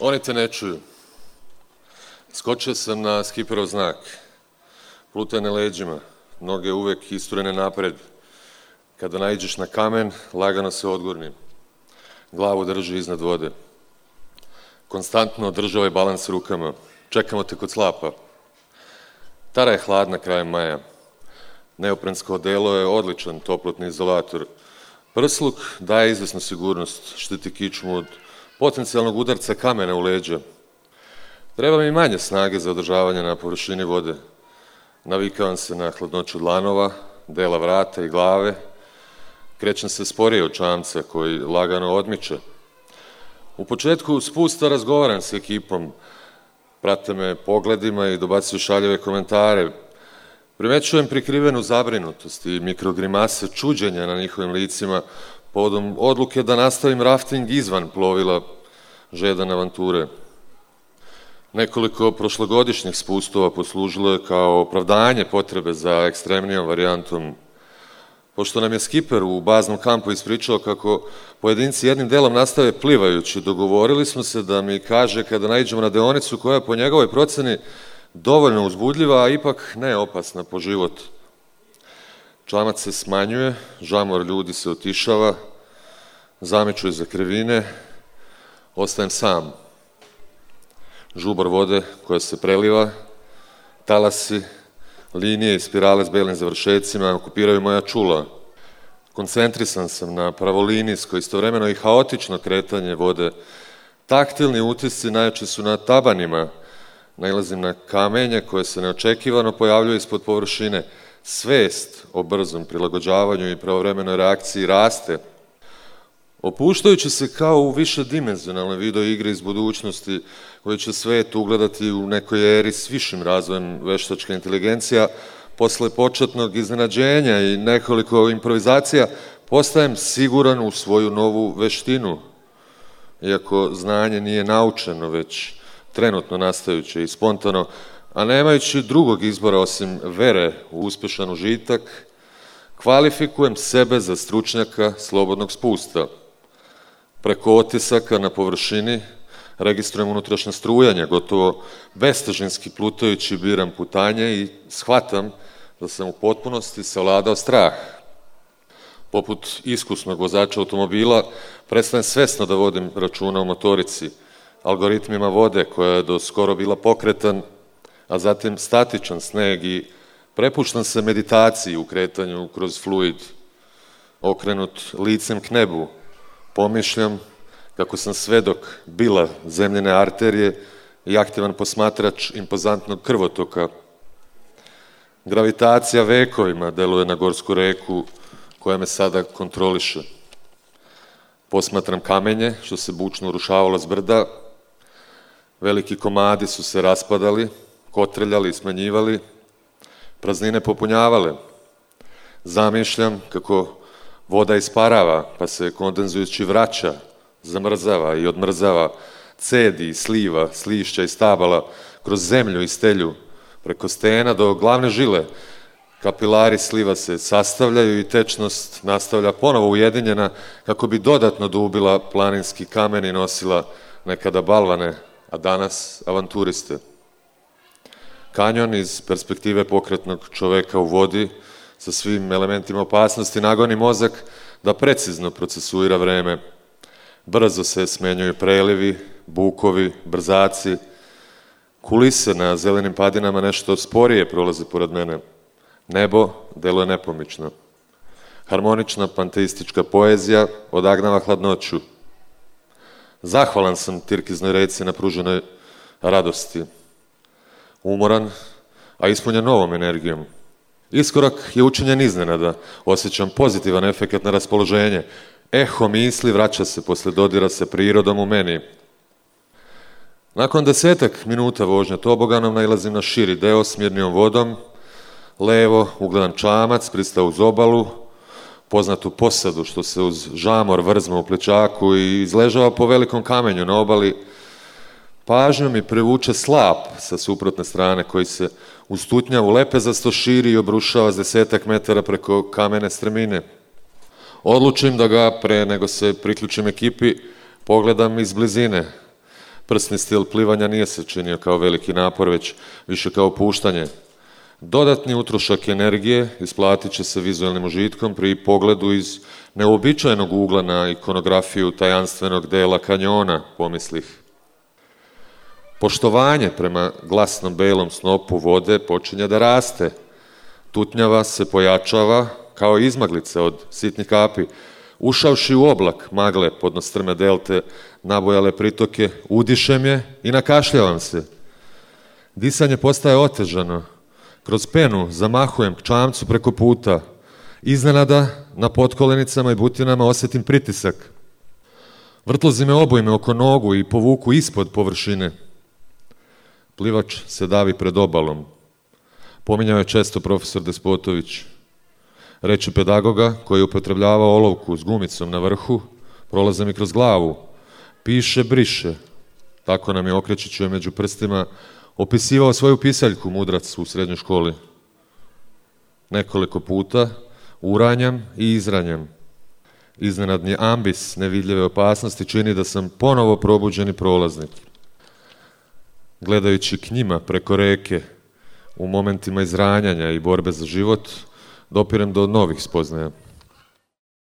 Oni te ne čuju. Skočio sam na skiperov znak. Plutane leđima, noge uvek isturene napred. Kada naiđeš na kamen, lagano se odgurni. Glavu drži iznad vode. Konstantno održavaj balans rukama. Čekamo te kod slapa. Tara je hladna krajem maja. Neoprensko odelo je odličan toplotni izolator. Prsluk daje izvesnu sigurnost, štiti kičmu od potencijalnog udarca kamena u leđa. Treba mi manje snage za održavanje na površini vode. Navikavam se na hladnoću dlanova, dela vrata i glave. Krećem se sporije od čamca koji lagano odmiče. U početku spusta razgovaram s ekipom. Prate me pogledima i dobacuju šaljeve komentare. Primećujem prikrivenu zabrinutost i mikrogrimase čuđenja na njihovim licima povodom odluke da nastavim rafting izvan plovila žedan avanture. Nekoliko prošlogodišnjih spustova poslužilo je kao opravdanje potrebe za ekstremnijom varijantom. Pošto nam je skiper u baznom kampu ispričao kako pojedinci jednim delom nastave plivajući, dogovorili smo se da mi kaže kada naiđemo na deonicu koja je po njegovoj proceni dovoljno uzbudljiva, a ipak ne opasna po život. Čamac se smanjuje, žamor ljudi se otišava, zamičuju za krivine, ostajem sam. Žubor vode koja se preliva, talasi, linije i spirale s belim završecima okupiraju moja čula. Koncentrisan sam na pravolinijsko, istovremeno i haotično kretanje vode. Taktilni utisci najjači su na tabanima. Nailazim na kamenje koje se neočekivano pojavljuje ispod površine. Svest o brzom prilagođavanju i pravovremenoj reakciji raste. Opuštajući se kao u višedimenzionalnoj video igre iz budućnosti koji će svet ugledati u nekoj eri s višim razvojem veštačke inteligencija, posle početnog iznenađenja i nekoliko improvizacija postajem siguran u svoju novu veštinu. Iako znanje nije naučeno, već trenutno nastajuće i spontano, a nemajući drugog izbora osim vere u uspešan užitak, kvalifikujem sebe za stručnjaka slobodnog spusta. Preko otisaka na površini registrujem unutrašnje strujanje, gotovo bestežinski plutajući biram putanje i shvatam da sam u potpunosti savladao strah. Poput iskusnog vozača automobila prestajem svesno da vodim računa o motorici, algoritmima vode koja je do skoro bila pokretan, a zatim statičan sneg i prepuštam se meditaciji u kretanju kroz fluid. Okrenut licem k nebu, pomišljam kako sam svedok bila zemljene arterije i aktivan posmatrač impozantnog krvotoka. Gravitacija vekovima deluje na gorsku reku koja me sada kontroliše. Posmatram kamenje što se bučno urušavalo s brda. Veliki komadi su se raspadali, kotreljali i smanjivali, praznine popunjavale. Zamišljam kako voda isparava, pa se kondenzujući vraća, zamrzava i odmrzava, cedi i sliva, slišća i stabala, kroz zemlju i stelju, preko stena do glavne žile. Kapilari sliva se sastavljaju i tečnost nastavlja ponovo ujedinjena kako bi dodatno dubila planinski kamen i nosila nekada balvane, a danas avanturiste. Kanjon iz perspektive pokretnog čoveka u vodi sa svim elementima opasnosti nagoni mozak da precizno procesuira vreme. Brzo se smenjuju prelivi, bukovi, brzaci. Kulise na zelenim padinama nešto sporije prolaze pored mene. Nebo deluje nepomično. Harmonična panteistička poezija odagnava hladnoću. Zahvalan sam Tirkiznoj reci na pruženoj radosti. Umoran, a ispunjen novom energijom. Iskorak je učinjen iznenada. Osjećam pozitivan efekat na raspoloženje. Eho misli vraća se posle dodira sa prirodom u meni. Nakon 10 minuta vožnja toboganom nailazim na širi deo s mirnijom vodom. Levo ugledam čamac, pristao uz obalu, poznatu posadu što se uz žamor vrzma u plečaku i izležava po velikom kamenju na obali. Pažnjom mi prevuče slap sa suprotne strane koji se uz tutnjavu lepezasto širi i obrušava s 10 metara preko kamene stremine. Odlučim da ga, pre nego se priključim ekipi, pogledam iz blizine. Prsni stil plivanja nije se činio kao veliki napor, već više kao puštanje. Dodatni utrošak energije isplatit će se vizualnim užitkom pri pogledu iz neuobičajenog ugla na ikonografiju tajanstvenog dela kanjona, pomislih. Poštovanje prema glasnom belom snopu vode počinje da raste. Tutnjava se pojačava kao izmaglice od sitnih kapi. Ušavši u oblak magle podno strme delte, nabojale pritoke, udišem je i nakašljavam se. Disanje postaje otežano. Kroz penu zamahujem k čamcu preko puta. Iznenada na potkolenicama i butinama osjetim pritisak. Vrtlozi me obojme oko nogu i povuku ispod površine. Plivač se davi pred obalom. Pominjao je često profesor Despotović. Reči pedagoga koji je upotrebljavao olovku s gumicom na vrhu prolaze mi kroz glavu. Piše, briše. Tako nam je okrećući među prstima opisivao svoju pisaljku mudrac u srednjoj školi. Nekoliko puta uranjam i izranjam. Iznenadni ambis nevidljive opasnosti čini da sam ponovo probuđeni prolaznik. Gledajući k njima preko reke, u momentima izranjanja i borbe za život, dopirem do novih spoznaja.